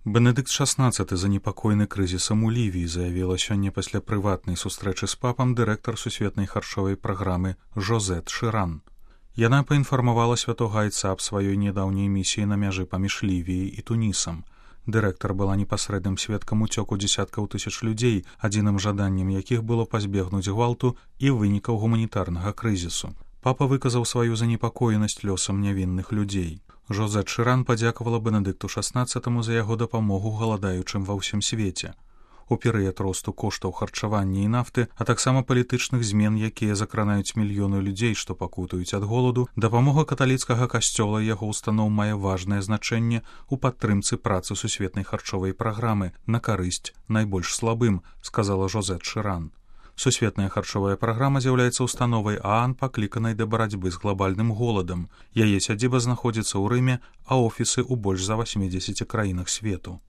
Бенедыкт XVI, занепакоены крызісам у Лівіі, заявіла сёння пасля прыватнай сустрэчы з папам дырэктар сусветнай харчовай праграмы Жозет Шыран. Яна паінфармавала святога айца аб сваёй нядаўняй місіі на мяжы паміж Лівіяй і Тунісам. Дырэктар была непасрэдным сведкам уцёку дзесяткаў тысяч людзей, адзіным жаданнем якіх было пазбегнуць гвалту і вынікаў гуманітарнага крызісу. Папа выказаў сваю занепакоенасць лёсам нявінных людзей. Жозет Шыран падзякавала Бенедыкту XVI за яго дапамогу галадаючым ва ўсім свеце. У перыяд росту коштаў харчавання і нафты, а таксама палітычных змен, якія закранаюць мільёны людзей, што пакутаюць ад голаду, дапамога каталіцкага касцёла і яго устаноў мае важнае значэнне ў падтрымцы працы сусветнай харчовай праграмы на карысць найбольш слабым, сказала Жозет Шыран. Сусветная харчовая праграма з'яўляецца установай ААН, пакліканай да барацьбы з глабальным голадам. Яе сядзіба знаходзіцца ў Рыме, а офісы ў больш за 80 краінах свету.